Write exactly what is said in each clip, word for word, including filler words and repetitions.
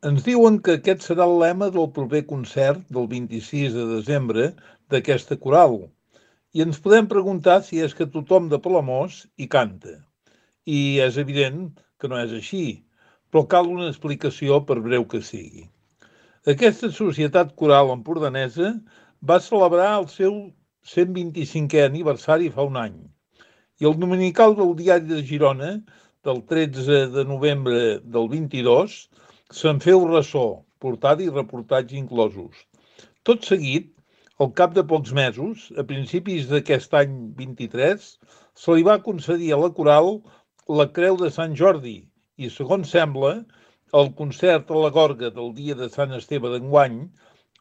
Ens diuen que aquest serà el lema del proper concert del vint-i-sis de desembre d'aquesta coral. I ens podem preguntar si és que tothom de Palamós hi canta. I és evident que no és així, però cal una explicació per breu que sigui. Aquesta societat coral empordanesa va celebrar el seu cent vint-i-cinquè aniversari fa un any. I el dominical del Diari de Girona, del tretze de novembre del vint-i-dos, se'n feu ressò, portada i reportatge inclosos. Tot seguit, al cap de pocs mesos, a principis d'aquest any vint-i-tres, se li va concedir a la coral la Creu de Sant Jordi i, segons sembla, el concert a la Gorga del dia de Sant Esteve d'enguany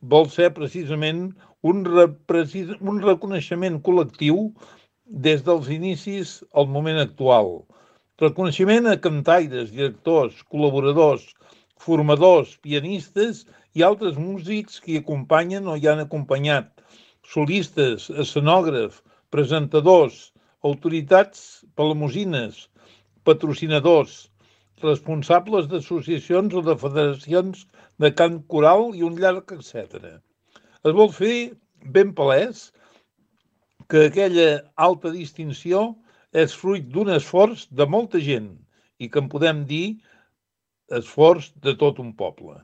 vol ser precisament un, reprecis, un reconeixement col·lectiu des dels inicis al moment actual. Reconeixement a cantaires, directors, col·laboradors, formadors, pianistes i altres músics que hi acompanyen o hi han acompanyat, solistes, escenògrafs, presentadors, autoritats palamosines, patrocinadors, responsables d'associacions o de federacions de cant coral i un llarg etcètera. Es vol fer ben palès que aquella alta distinció és fruit d'un esforç de molta gent i que en podem dir esforç de tot un poble.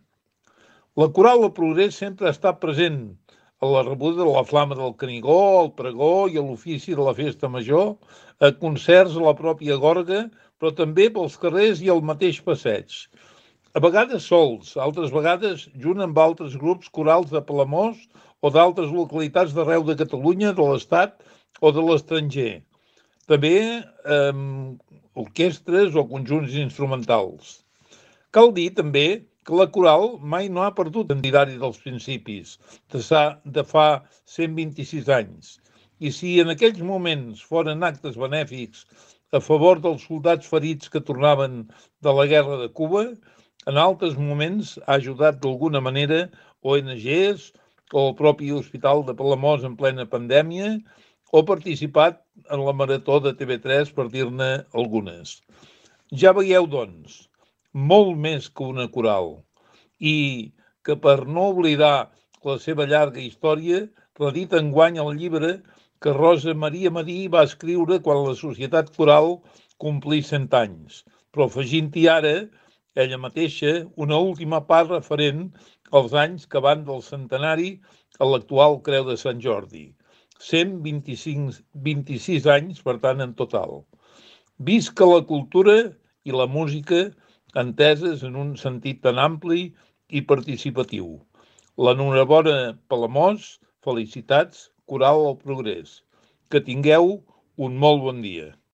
La coral del Progrés sempre ha estat present a la rebuda de la Flama del Canigó, al pregó i a l'ofici de la festa major, a concerts a la pròpia Gorga, però també pels carrers i al mateix passeig. A vegades sols, altres vegades junt amb altres grups corals de Palamós o d'altres localitats d'arreu de Catalunya, de l'Estat o de l'estranger. També eh, orquestres o conjunts instrumentals. Cal dir també que la coral mai no ha perdut l'identari dels principis de fa cent vint-i-sis anys. I si en aquells moments foren actes benèfics a favor dels soldats ferits que tornaven de la guerra de Cuba, en altres moments ha ajudat d'alguna manera O N Ges o el propi Hospital de Palamós en plena pandèmia o participat en la Marató de T V tres, per dir-ne algunes. Ja veieu, doncs, molt més que una coral, i que per no oblidar la seva llarga història, redit enguany el llibre que Rosa Maria Marí va escriure quan la Societat Coral complís cent anys, però afegint-hi ara, ella mateixa, una última part referent als anys que van del centenari a l'actual Creu de Sant Jordi. cent vint-i-cinc, vint-i-sis anys, per tant, en total. Visca la cultura i la música enteses en un sentit tan ampli i participatiu. L'enhorabona Palamós, felicitats, Coral al Progrés. Que tingueu un molt bon dia.